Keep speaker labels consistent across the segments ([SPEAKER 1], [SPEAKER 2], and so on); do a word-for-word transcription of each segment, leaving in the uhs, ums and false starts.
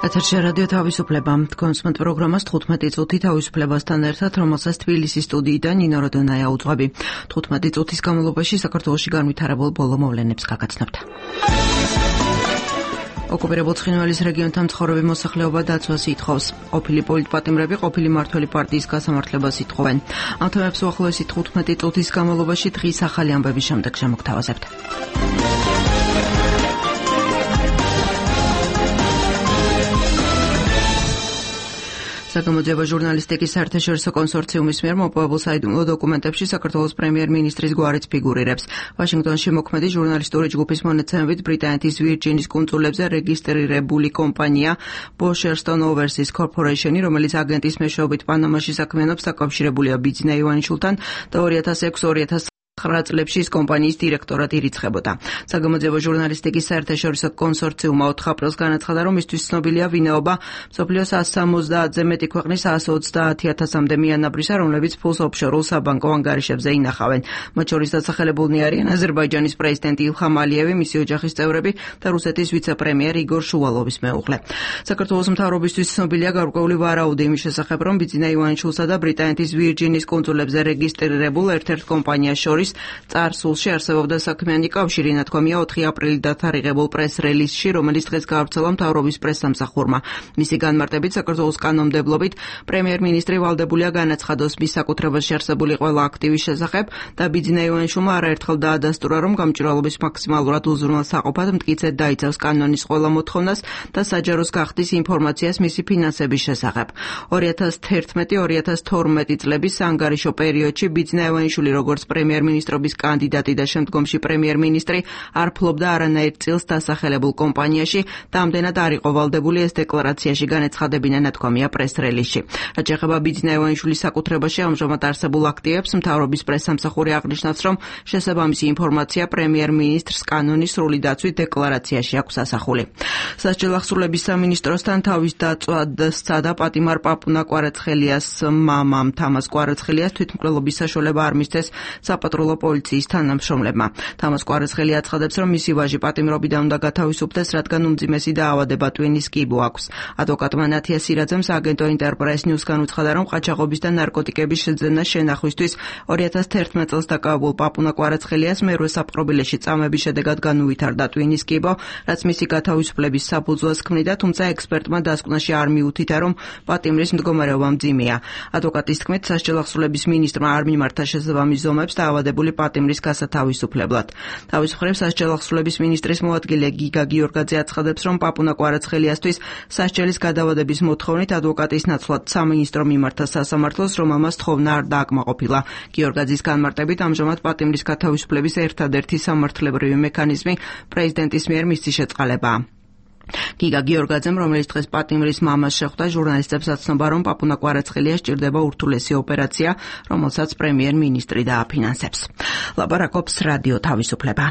[SPEAKER 1] ეთერში რადიო თავისუფლება. თქვენს მომთ პროგრამას თხუთმეტი წუთი თავისუფლებასთან ერთად, რომელსაც თბილისის სტუდიიდან ნინო როდონაია უძღვები. თხუთმეტი წუთის განმავლობაში საქართველოში განვითარებულ ბოლო მოვლენებს გაგაცნობთ. ოკუპირებულ ცხინვალის რეგიონთან მცხოვრები მოსახლეობა დაცვას ითხოვს. ყოფილი პოლიტპატიმრები ყოფილი მმართველი პარტიის გასამართლებას ითხოვენ. ამ თემებს უახლოესი თხუთმეტი წუთის განმავლობაში დღის ახალი ამბების შემდეგ შემოგთავაზებთ. საგამოძიებო ჟურნალისტიკის საერთაშორისო კონსორციუმის მიერ მოპოვებულ საიდუმლო დოკუმენტებში საქართველოს პრემიერ-მინისტრის გვარიც ფიგურირებს. ვაშინგტონში მოქმედი ჟურნალისტური ჯგუფის მონაცემებით ბრიტანეთის ვირჯინის კუნძულებზე რეგისტრირებული კომპანია Bosherston Overseas Corporation, რომელიც აგენტის მეშვეობით პანამაში საქმიანობს, დაკავშირებულია ბიძინა ივანიშვილთან და ორი ათას ექვსი ორი ათას ცხრა წლებში ის კომპანიის დირექტორად ირიცხებოდა. საგამოძიებო ჟურნალისტიკის საერთაშორისო კონსორციუმმა ოთხ აპრილს განაცხადა, რომ მისთვის ცნობილია ვინაობა მსოფლიოს ასს სამოცდაათზე მეტი ქვეყნის ასს ოცდაათი ათასამდე მიანაბრისა, რომლებიც ფულს ოფშორულ საბანკო ანგარიშებზე ინახავენ. მათ შორის დასახელებულნი არიან აზერბაიჯანის პრეზიდენტი ილხამ ალიევი, მისი ოჯახის წევრები და რუსეთის ვიცე-პრემიერ იგორ შუვალოვის მეუღლე. საქართველოს მთავრობისთვის ცნობილია გარკვეული ვარაუდი იმის შესახებ, რომ ბიძინა ივანიშვილსა და ბრიტანეთის ვირჯინის კუნძულებზე რეგისტრირებულ ერთ-ერთ კომპანიას შორის წარსულში არსებობდა საქმიანი კავშირი, ნათქვამია ოთხი აპრილით დათარიღებულ პრეს-რელიზში, რომელიც დღეს გაავრცელა მთავრობის პრესსამსახურმა. მისი განმარტებით, საქართველოს კანონმდებლობით პრემიერ-მინისტრი ვალდებულია განაცხადოს მის საკუთრებაში არსებული ყველა აქტივის შესახებ და ბიძინა ივანიშვილმა არაერთხელ დაადასტურა, რომ გამჭვირვალობის მაქსიმალურად უზრუნველსაყოფად მტკიცედ დაიცავს კანონის ყველა მოთხოვნას და საჯაროს გახდის ინფორმაციას მისი ფინანსების შესახებ. ორი ათას თერთმეტი ორი ათას თორმეტი წლების საანგარიშო პერიოდში ბიძინა ივანიშვილი როგორც პრემიერ-მინისტრი მინისტრობის კანდიდატი და შემდგომში პრემიერ-მინისტრი არ ფლობდა არანაირ წილს დასახელებულ კომპანიაში და ამდენად არ იყო ვალდებული ეს დეკლარაციაში განეცხადებინა, ნათქვამია პრეს-რელიზში. რაც შეეხება ბიძინა ივანიშვილის საკუთრებაში ამჟამად არსებულ აქტივებს, მთავრობის პრესსამსახური აღნიშნავს, რომ შესაბამისი ინფორმაცია პრემიერ-მინისტრს კანონის სრული დაცვით დეკლარაციაში აქვს ასახული. სასჯელ ახსრულების სამინისტროსთან თავის დაწვად სცადა პატიმარ პაპუნა კვარაცხელიას მამამ თამას კვარაცხელიას თვითმკვლელობის საშუალება არ მისცეს საპატრულო პოლიციის თანამშრომლებმა. თამას კვარაცხელი აცხადებს, რომ მისი ვაჟი პატიმრობიდან უნდა გათავისუფლდეს, რადგან უმძიმესი დაავადება ტვინის კიბო აქვს. ადვოკატმა ნათია სირაძემ სააგენტო ინტერპრეს ნიუსგან უცხადა, რომ ყაჩაღობის და ნარკოტიკების შეძენა შენახვისთვის ორი ათას თერთმეტ წელს დაკავებულ პაპუნა კვარაცხელიას მერვე საპყრობილეში წამების შედეგად განუვითარდა ტვინის კიბო, რაც მისი გათავისუფლების საფუძველს ქმნიდა, თუმცა ექსპერტმა დასკვნაში არ მიუთითა, რომ პატიმრის მდგომარეობა მძიმეა. ადვოკატის თქმით, სასჯელ ახსრულების მინისტრმა არ მიმართა შესაბამის ზომებს დაავადებული პატიმრის გასათავისუფლებლად. თავის მხრივ სასჯელ ახსრულების მინისტრის მოადგილე გიგა გიორგაძე აცხადებს, რომ პაპუნა კვარაცხელიასთვის სასჯელის გადავადების მოთხოვნით ადვოკატის ნაცვლად სამინისტრო მიმართა სასამართლოს, რომ ამას თხოვნა არ დააკმაყოფილა. გიორგაძის განმარტებით, ამჟამად პატიმრის გათავისუფლების ერთადერთი სამართლებრივი მექანიზმი პრეზიდენტის მიერ მისცი შეწყალებაა. გიგა გიორგაძემ, რომელიც დღეს პატიმრის მამას შეხვდა, ჟურნალისტებს აცნობა, რომ პაპუნა კვარაცხელიას სჭირდება ურთულესი ოპერაცია, რომელსაც პრემიერ-მინისტრი დააფინანსებს. ლაპარაკობს რადიო თავისუფლება.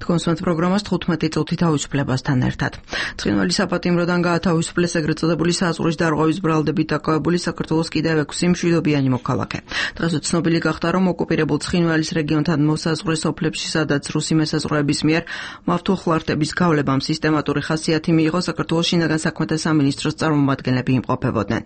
[SPEAKER 1] თქვენს მომთ პროგრამას თხუთმეტი წუთი თავისუფლებასთან ერთად. ცხინვალის საპატიმროდან გაათავისუფლეს ეგრეთ წოდებული საზღვრის დარღვევის ბრალდებით დაკავებული საქართველოს კიდევ ექვსი მშვიდობიანი მოქალაქე. დღეს ცნობილი გახდა, რომ ოკუპირებულ ცხინვალის რეგიონთან მოსაზღვრე სოფლებში, სადაც რუსი მესაზღვრეების მიერ მავთულხლართების გავლებამ სისტემატური ხასიათი მიიღო, საქართველოს შინაგან საქმეთა სამინისტროს წარმომადგენლები იმყოფებოდნენ.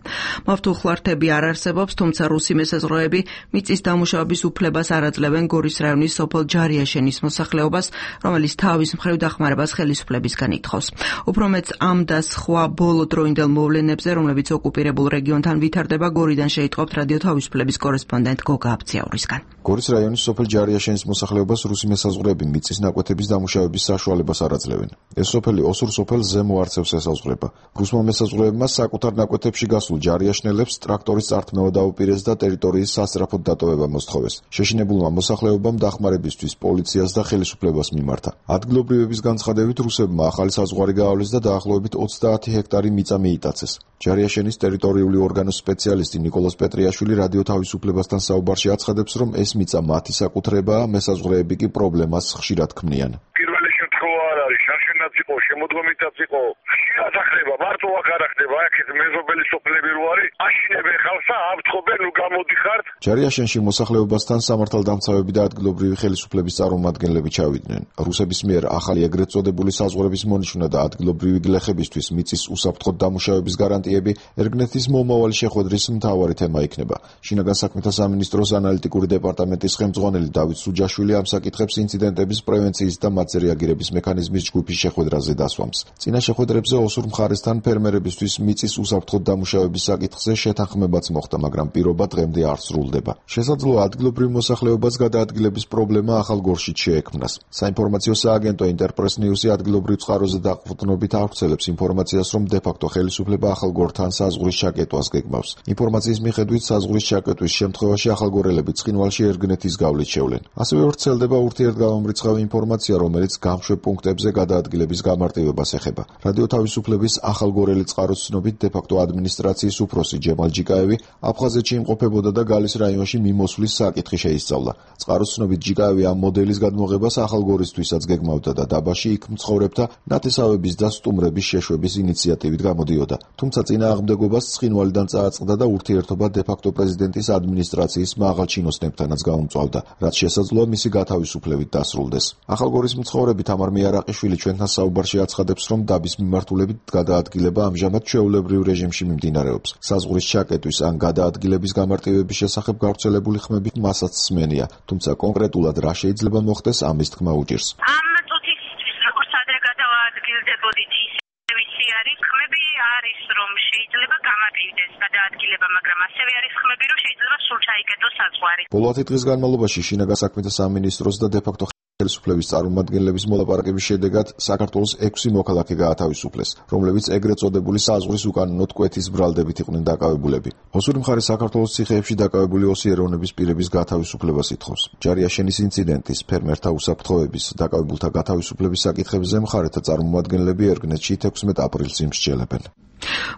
[SPEAKER 1] მავთულხლართები არ არსებობს, თუმცა რუსი მესაზღვრეები მიწის დამუშავების უფლებას არ აძლევენ გორის რაიონის სოფელ ჯარიაშენის მოსახლეობას, რომელიც თავის მხრივ დახმარებას ხელისუფლებისგან ითხოვს. უფრო მეც ამ და სხვა ბოლო დროინდელ მოვლენებზე, რომლებიც ოკუპირებულ რეგიონთან ვითარდება, გორიდან შეიტყობთ რადიო თავისუფლების კორესპონდენტ გოგა აბციაურისგან.
[SPEAKER 2] გორის რაიონის სოფელ ჯარიაშენის მოსახლეობას რუსი მესაზღვრეები მიწის ნაკვეთების დამუშავების საშუალებას არ აძლევენ. ეს სოფელი ოსურ სოფელ ზემო არცევს ესაზღვრება. რუსმა მესაზღვრეებმა საკუთარ ნაკვეთებში გასულ ჯარიაშნელებს ტრაქტორის წართმევა დაუპირეს და ტერიტორიის სასწრაფოდ დატოვება მოსთხოვეს. შეშინებულმა მოსახლეობამ დახმარებისთვის პოლიციას და ხელისუფლებას მიმართა. ადგილობრივების განცხადებით, რუსებმა ახალი საზღვარი გაავლეს და დაახლოებით ოცდაათი ჰექტარი მიწა მიიტაცეს. ჯარიაშენის ტერიტორიული ორგანოს სპეციალისტი ნიკოლას პეტრიაშვილი რადიო თავისუფლებასთან საუბარში აცხადებს, რომ ეს მიწა მათი საკუთრებაა, მესაზღვრეები კი პრობლემას ხშირად ქმნიან.
[SPEAKER 3] პირველი შემთხვევა არ არის, შარშენაც იყო შემოდგომითაც იყო ხშირად ახდება, მარტო აქ არ ახდება, აქეთ მეზობელი სოფლები რო არის, აშინებენ ხალხს და აფრთხობენ, ნუ გამოდიხართ.
[SPEAKER 2] ჯარიაშენში მოსახლეობასთან სამართალდამცავები და ადგილობრივი ხელისუფლების წარმომადგენლები ჩავიდნენ. რუსების მიერ ახალი ეგრეთ წოდებული საზღვრების მონიშნა და ადგილობრივი გლეხებისთვის მიწის უსაფრთხოდ დამუშავების გარანტიები ერგნეთის მომავალი შეხვედრის მთავარი თემა იქნება. შინაგან საქმეთა სამინისტროს ანალიტიკური დეპარტამენტის ხელმძღვანელი დავით სუჯაშვილი ამ საკითხებს ინციდენტების პრევენციის და მათზე რეაგირების მექანიზმის ჯგუფის შეხვედრაზე დასვამს. წინა შეხვედრებზე ოსურ მხარესთან ფერმერებისთვის მიწის უსაფრთხოდ დამუშავების საკითხზე შეთანხმებაც მოხდა, მაგრამ პირობა დღემდე არ სრულდება. შესაძლოა ადგილობრივ მოსახლეობას გადაადგილების პრობლემა ახალ გორშით შეექმნას. საინფორმაციო სააგენტო ინტერპრეს ნიუსი ადგილობრივ წყაროზე დაყრდნობით ავრცელებს ინფორმაციას, რომ დე-ფაქტო ხელისუფლება ახალგორთან საზღვრის ჩაკეტვას გეგმავს. ინფორმაციის მიხედვით საზღვრის ჩაკეტვის შემთხვევაში ახალგორელები ცხინვალში ერგნეთის გავლით შევლენ. ასევე ვრცელდება ურთიერთგამომრიცხავი ინფორმაცია, რომელიც გამშვებ პუნქტებზე გადაადგილების გამარტივებას ეხება. რადიო თავისუფლების ახალგორელი წყაროს ცნობით დე-ფაქტო ადმინისტრაციის უფროსი ჯემალ ჯიკაევი აფხაზეთში იმყოფებოდა და გალის რაიონში მიმოსვლის საკითხი შეისწავლა. წყაროს ცნობით ჯიკაევი ამ მოდელის გადმოღებას ახალგორისთვისაც გეგმავდა და დაბაში იქ მცხოვრებთა ნათესავების და სტუმრების შეშვების ინიციატივით გამოდიოდა. თუმცა წინააღმდეგობას ცხინვალიდან წააწყდა და ურთიერთობა დე-ფაქტო პრეზიდენტის ადმინისტრაციის მაღალ ჩინოსნებთანაც გაუმწვავდა, რაც შესაძლოა მისი გათავისუფლებით დასრულდეს. ახალგორის მცხოვრები თამარ მიარაყიშვილი ჩვენთან საუბარში აცხადებს, რომ დაბის მიმართულებით გადაადგილება ამჟამად ჩვეულებრივ რეჟიმში მიმდინარეობს. საზღვრის ჩაკეტვის ან გადაადგილების გამარტივების შესახებ გავრცელებული ხმები მასაც სმენია, თუმცა კონკრეტულად რა შეიძლება მოხდეს, ამის თქმა უჭირს.
[SPEAKER 4] ამ წუთისთვის როგორც ადრე გადაადგილდებოდით, ისე ვიცი არის ხმები არის, რომ შეიძლება გამარტივდეს გადაადგილება, მაგრამ ასევე არის ხმები, რომ შეიძლება სულ ჩაიკეტოს საზღვარი.
[SPEAKER 2] ბოლო ათი დღის განმავლობაში შინაგან საქმეთა სამინისტროს და დე-ფაქტო ხელისუფლების წარმომადგენლების მოლაპარაკების შედეგად საქართველოს ექვსი მოქალაქე გაათავისუფლეს, რომლებიც ეგრეთ წოდებული საზღვრის უკანონო კვეთის ბრალდებით იყვნენ დაკავებულები. ოსური მხარე საქართველოს ციხეებში დაკავებული ოსი ეროვნების პირების გათავისუფლებას ითხოვს. ჯარიაშენის ინციდენტის, ფერმერთა უსაფრთხოების, დაკავებულთა გათავისუფლების საკითხებზე მხარეთა წარმომადგენლები ერგნეთში თექვსმეტ აპრილს იმსჯელებენ.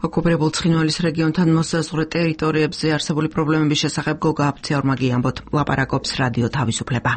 [SPEAKER 1] ოკუპირებულ ცხინვალის რეგიონთან მოსაზღვრე ტერიტორიებზე არსებული პრობლემების შესახებ გოგა აფციორმა გიამბოთ, ლაპარაკობს რადიო თავისუფლება.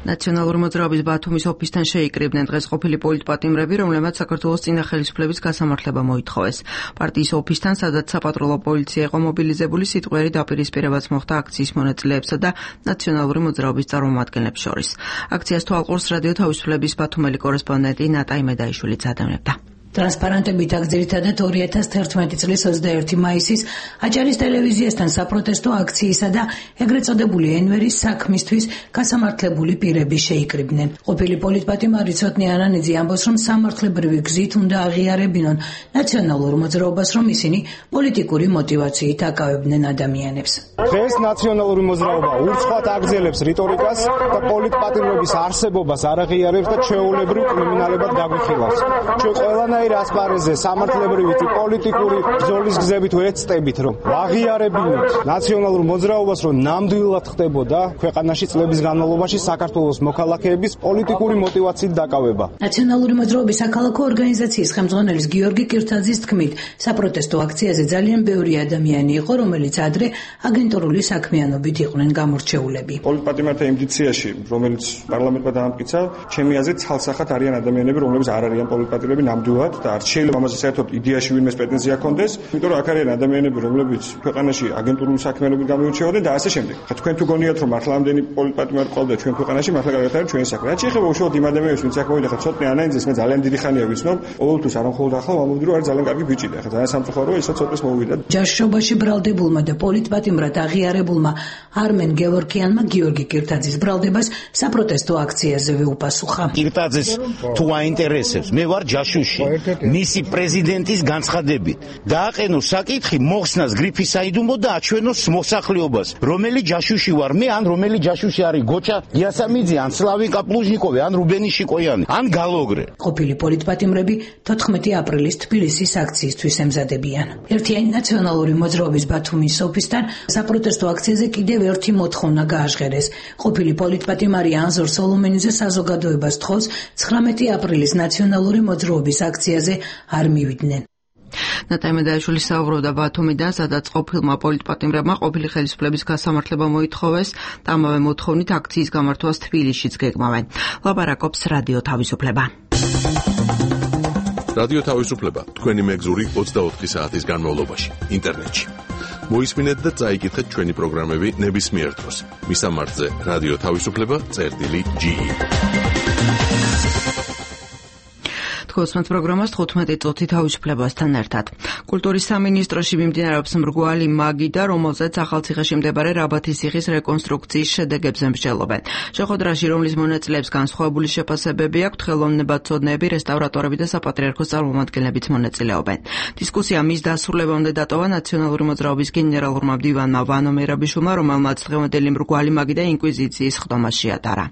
[SPEAKER 1] ნაციონალური მოძრაობის ბათუმის ოფისთან შეიკრიბნენ დღეს ყოფილი პოლიტპატიმრები, რომლებმაც საქართველოს წინა ხელისუფლების გასამართლება მოითხოვეს. პარტიის ოფისთან, სადაც საპატრულო პოლიცია იყო მობილიზებული, სიტყვიერი დაპირისპირებაც მოხდა აქციის მონაწილეებსა და ნაციონალური მოძრაობის წარმომადგენლებს შორის. აქციას თვალყურს რადიო თავისუფლების ბათუმელი კორესპონდენტი ნატა იმედაიშვილიც ადევნებდა.
[SPEAKER 5] ტრანსპარენტებით აქ ძირითადად ორი ათას თერთმეტი წლის ოცდაერთი მაისის აჭარის ტელევიზიასთან საპროტესტო აქციისა და ეგრეთ წოდებული ენვერის საქმისთვის გასამართლებული პირები შეიკრიბნენ. ყოფილი პოლიტპატიმარი ცოტნე ანანიძე ამბობს, რომ სამართლებრივი გზით უნდა აღიარებინონ ნაციონალურ მოძრაობას, რომ ისინი პოლიტიკური მოტივაციით აკავებდნენ ადამიანებს.
[SPEAKER 6] დღეს ნაციონალური მოძრაობა ურცხვად აგრძელებს რიტორიკას და პოლიტპატიმრების არსებობას არ აღიარებს და ჩვეულებრივ კრიმინალებად გაგვიხილავს. ჩვენ ყველანაირ ასპარეზზე სამართლებრივი პოლიტიკური ბრძოლის გზებით ვეცდებით, რომ აღიარებინოთ ნაციონალურ მოძრაობას, რომ ნამდვილად ხდებოდა ქვეყანაში წლების განმავლობაში საქართველოს მოქალაქეების პოლიტიკური მოტივაციით დაკავება.
[SPEAKER 5] ნაციონალური მოძრაობის საქალაქო ორგანიზაციის ხელმძღვანელის გიორგი კირთაძის თქმით, საპროტესტო აქციაზე ძალიან ბევრი ადამიანი იყო, რომელიც ადრე აგენტურული საქმიანობით იყვნენ გამორჩეულები.
[SPEAKER 6] პოლიტპატიმართა იმდიციაში, რომელიც პარლამენტმა დაამტკიცა, ჩემი აზრით ცალსახად არიან ადამიანები, რომლებიც არ არიან პოლიტპატიმრები ნამდვილად და არ შეიძლება ამაზე საერთოდ იდეაში ვინმეს პრეტენზია ჰქონდეს, იმიტომ რომ აქ არიან ადამიანები, რომლებიც ქვეყანაში აგენტურული საქმიანობით გამოირჩეოდნენ და ასე შემდეგ. ხა თქვენ თუ გონიათ, რომ მართლა ამდენი პოლიტპატიმარი ყავდა ჩვენ ქვეყანაში, მართლა კარგად არის ჩვენი საქმე. რაც შეეხება უშუალოდ იმ ადამიანებს, ვინც აქ მოვიდა, ხა ცოტნე ანანიძეს მე ძალიან დიდი ხანია ვიცნობ, ყოველთვის არ მხოლოდ ახლა ვამბობდი, რომ არის ძალიან კარგი ბიჭი და ხა ძალიან სამწუხაროა, ისაც ცოტნეს მოვიდა.
[SPEAKER 5] ჯაშობაში ბრალდებულმა და პოლიტპატიმრად აღიარებულმა არმენ გევორქიანმა გიორგი კირთაძის ბრალდებას საპროტესტო აქციაზე უპასუხა.
[SPEAKER 7] კირთაძეს თუ აინტერესებს, მე ვარ ჯაშუში. მისი პრეზიდენტის განცხადებით დააყენოს საკითხი მოხსნას გრიფის საიდუმლო და აჩვენოს მოსახლეობას, რომელი ჯაშუში ვარ მე, ან რომელი ჯაშუში არის გოჩა იასამიძე, ან სლავინკა პლუჟნიკოვი, ან რუბენი შიკოიანი, ან გალოგრე.
[SPEAKER 5] ყოფილი პოლიტპატიმრები თოთხმეტი აპრილის თბილისის აქციისთვის ემზადებიან. ერთიანი ნაციონალური მოძრაობის ბათუმის ოფისთან საპროტესტო აქციაზე კიდევ ერთი მოთხოვნა გააჟღერეს. ყოფილი პოლიტპატიმარი ანზორ სოლომენიძე საზოგადოებას თხოვს ცხრამეტი აპრილის ნაციონალური მოძრაობის აქციაზე არ მივიდნენ.
[SPEAKER 1] ნატაი მედაიშვილი საუბრობდა ბათუმიდან, სადაც ყოფილმა პოლიტპატიმრებმა ყოფილი ხელისუფლების გასამართლება მოითხოვეს და ამავე მოთხოვნით აქციის გამართვას თბილისშიც გეგმავენ. ლაპარაკობს რადიო თავისუფლება.
[SPEAKER 8] რადიო თავისუფლება თქვენი მეგზური ოცდაოთხი საათის განმავლობაში ინტერნეტში. მოისმინეთ და წაიკითხეთ ჩვენი პროგრამები ნებისმიერ დროს. მისამართზე რადიო თავისუფლება წერტილი ჯი.
[SPEAKER 1] თქოსმეთ პროგრამას თხუთმეტი წუთი თავისუფლებასთან ერთად. კულტურის სამინისტროში მიმდინარეობს მრგვალი მაგიდა, რომელზეც ახალციხეში მდებარე რაბათის ციხის რეკონსტრუქციის შედეგებზე მსჯელობენ. შეხვედრაში, რომლის მონაწილეებს განსხვავებული შეფასებები აქვთ, ხელოვნებაცოდნეები, რესტავრატორები და საპატრიარქოს წარმომადგენლებიც მონაწილეობენ. დისკუსია მის დასრულებამდე დატოვა ნაციონალური მოძრაობის გენერალურმა მდივანმა ვანო მერაბიშვილმა, რომელმაც დღევანდელი მრგვალი მაგიდა ინკვიზიციის ხდომას შეატარა.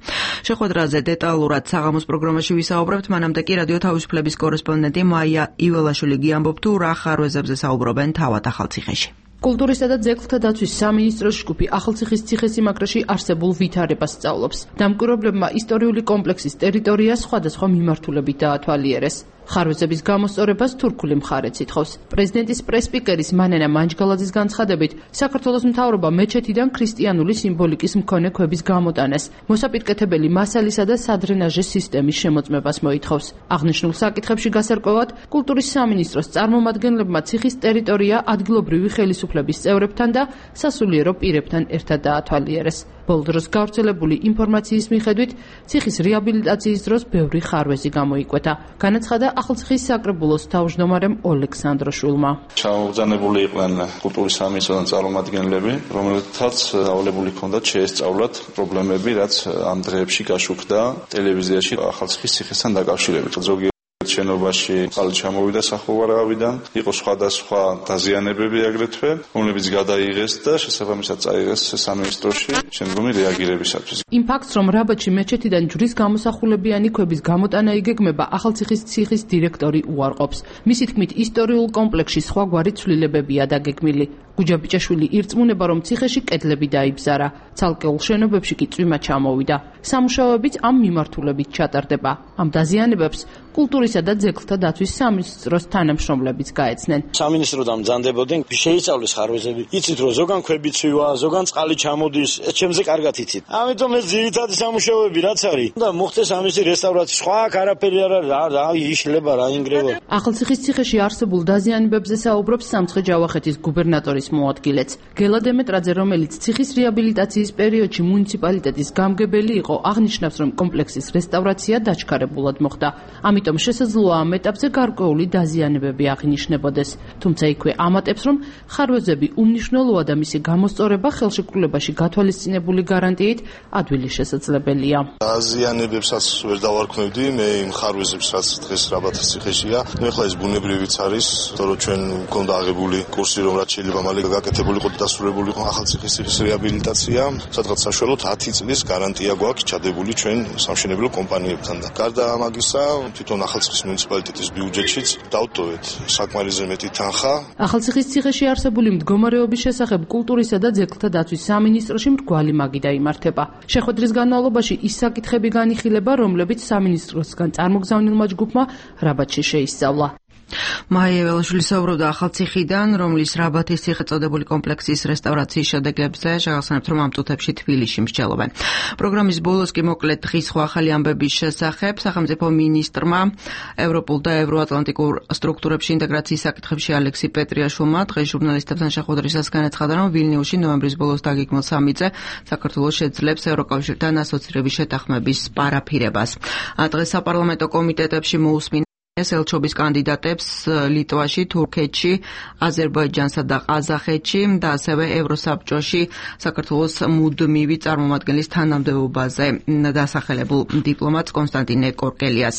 [SPEAKER 1] შეხვედრაზე დეტალურად საღამოს პროგრამაში ვისაუბრებთ, მანამდე კი რადიო თავისუფლების კორესპონდენტი მაია იველაშვილი გიამბობ თუ რა ხარვეზებზე საუბრობენ თავად ახალციხეში.
[SPEAKER 9] კულტურისა და ძეგლთა დაცვის სამინისტროს ჯგუფი ახალციხის ციხესიმაგრეში არსებულ ვითარებას სწავლობს. დამკვირვებლებმა ისტორიული კომპლექსის ტერიტორია სხვადასხვა მიმართულებით დაათვალიერეს. ხარვეზების გამოსწორებას თურქული მხარეც ითხოვს. პრეზიდენტის პრესპიკერის მანენა მანჯგალაძის განცხადებით, საქართველოს მთავრობა მეჩეთიდან ქრისტიანული სიმბოლიკის მქონე ქვების გამოტანას, მოსაპირკეთებელი მასალისა და სადრენაჟის სისტემის შემოწმებას მოითხოვს. აღნიშნულ საკითხებში გასარკვევად, კულტურის სამინისტროს წარმომადგენლებმა ციხის ტერიტორია ადგილობრივი ხელისუფლების წევრებთან და სასულიერო პირებთან ერთად დაათვალიერეს. ბოლო დროს გავრცელებული ინფორმაციის მიხედვით, ციხის რეაბილიტაციის დროს ბევრი ხარვეზი გამოიკვეთა. განაცხადა ახალციხის საკრებულოს თავმჯდომარემ ოლექსანდროშვილმა.
[SPEAKER 10] ჩამოგზავნებული იყვნენ კულტურის სამინისტროსთან წარმომადგენლები, რომელთაც ავალებული ჰქონდათ შეესწავლათ პრობლემები, რაც ამ დღეებში გაშუქდა ტელევიზიაში ახალციხის ციხესთან დაკავშირებით. ზოგი შენობაში წყალი ჩამოვიდა სახურავიდან, იყო სხვადასხვა დაზიანებები აგრეთვე, რომლებიც გადაიღეს და შესაბამისად წაიღეს სამინისტროში შემდგომი რეაგირებისათვის.
[SPEAKER 9] იმ ფაქტს, რომ რაბათში მეჩეთიდან ჯვრის გამოსახულებიანი ქვების გამოტანა იგეგმება, ახალციხის ციხის დირექტორი უარყოფს. მისი თქმით, ისტორიულ კომპლექსში სხვაგვარი ცვლილებებია დაგეგმილი. გუჯაბიჭაშვილი ირწმუნება, რომ ციხეში კედლები დაიბზარა, ცალკეულ შენობებში კი წვიმა ჩამოვიდა. სამუშაოებიც ამ მიმართულებით ჩატარდება. ამ დაზიანებებს კულტურისა და ძეგლთა დაცვის სამინისტროს თანამშრომლებიც გაეცნენ.
[SPEAKER 11] სამინისტროდან მძანდებოდნენ, შეისწავლეს ხარვეზები. იცით, რომ ზოგან ქვები ცვივა, ზოგან წყალი ჩამოდის, ეს ჩემზე კარგად იცით. ამიტომ ეს ძირითადი სამუშაოები რაც არის, და მოხდეს ამისი რესტავრაცია. სხვა არაფერი არ არის, რა იშლება, რა ინგრევა.
[SPEAKER 9] ახალციხის ციხეში არსებულ დაზიანებებზე საუბრობს სამცხე ჯავახეთის გუბერნატორის მოადგილეც. გელა დემეტრაძე, რომელიც ციხის რეაბილიტაციის პერიოდში მუნიციპალიტეტის გამგებელი იყო, აღნიშნავს, რომ კომპლექსის რესტავრაცია დაჩქარებულად მოხდა. ამიტომ შესაძლოა ამ ეტაპზე გარკვეული დაზიანებები აღინიშნებოდეს. თუმცა იქვე ამატებს, რომ ხარვეზები უმნიშვნელოა და მისი გამოსწორება ხელშეკრულებაში გათვალისწინებული გარანტიით ადვილი შესაძლებელია.
[SPEAKER 10] დაზიანებებსაც ვერ დავარქმევდი, მე იმ ხარვეზებს, რაც დღეს რაბათის ციხეშია. ნუ ახლა ეს ბუნებრივიც არის, თორემ ჩვენ მქონდა აღებული კურსი, რომ რაც შეიძლება მალე გაკეთებული იყო და დასრულებული იყო ახალციხის ციხის რეაბილიტაცია, სადღაც საშუალოდ ათი წლის გარანტია გვაქვს ჩადებული ჩვენ სამშენებლო კომპანიებთან და გარდა ამაგისა თვითონ ახალციხის მუნიციპალიტეტის ბიუჯეტშიც დავტოვეთ საკმარისზე მეტი თანხა.
[SPEAKER 9] ახალციხის ციხეში არსებული მდგომარეობის შესახებ კულტურისა და ძეგლთა დაცვის სამინისტროში მრგვალი მაგიდა იმართება. შეხვედრის განმავლობაში ის საკითხები განიხილება, რომლებიც სამინისტროსგან წარმოგზავნილმა ჯგუფმა რაბათში შეისწავლა.
[SPEAKER 1] მაია იველაშვილი საუბრობდა ახალციხიდან, რომლის რაბათის ციხე წოდებული კომპლექსის რესტავრაციის შედეგებზე, შეგახსენებთ, რომ ამ წუთებში თბილისში მსჯელობენ. პროგრამის ბოლოს კი მოკლედ დღის სხვა ახალი ამბების შესახებ სახელმწიფო მინისტრმა ევროპულ და ევროატლანტიკურ სტრუქტურებში ინტეგრაციის საკითხებში ალექსი პეტრიაშვილმა დღეს ჟურნალისტებთან შეხვედრისას განაცხადა, რომ ვილნიუსში ნოემბრის ბოლოს დაგეგმილ სამიტზე საქართველოს შეძლებს ევროკავშირთან ასოცირების შეთანხმების პარაფირებას. დღეს საპარლამენტო კომიტეტებში მოусმინა ელჩობის კანდიდატებს ლიტვაში, თურქეთში, აზერბაიჯანსა და ყაზახეთში და ასევე ევროსაბჭოში საქართველოს მუდმივი წარმომადგენლის თანამდებობაზე დასახელებულ დიპლომატს კონსტანტინე კორკელიას.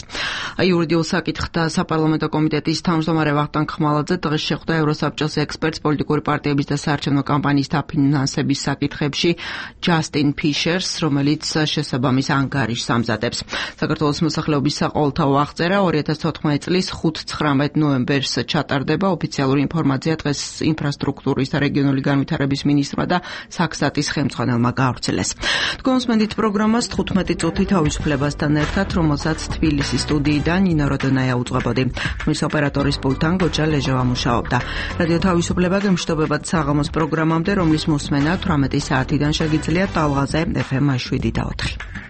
[SPEAKER 1] იურიდიულ საკითხთა საპარლამენტო კომიტეტის თავმჯდომარე ვახტანგ ხმალაძე დღეს შეხვდა ევროსაბჭოს ექსპერტს პოლიტიკური პარტიების და საარჩევნო კამპანიის დაფინანსების საკითხებში ჯასტინ ფიშერს, რომელიც შესაბამის ანგარიშს ამზადებს. საქართველოს მოსახლეობის საყოველთაო აღწერა ორი ათას თოთხმეტი მეთერთმეტი წლის ხუთ-ცხრამეტ ნოემბერს ჩატარდება. ოფიციალური ინფორმაცია დღეს ინფრასტრუქტურის და რეგიონული განვითარების მინისტრმა და საქსატის ხელმძღვანელმა გაავრცელეს. თქვენს მენდით პროგრამას თხუთმეტი წუთი თავისუფლებასთან ერთად, რომელსაც თბილისის სტუდიიდან ნინო როდონაია უძღვებოდი. მის ოპერატორის პულტთან გოჯა ლეჟევა მუშაობდა. რადიო თავისუფლება გემშვიდობებად საღამოს პროგრამამდე, რომლის მოსმენა თვრამეტი საათიდან შეგიძლიათ ტალღაზე ეფ ემ შვიდი და ოთხი.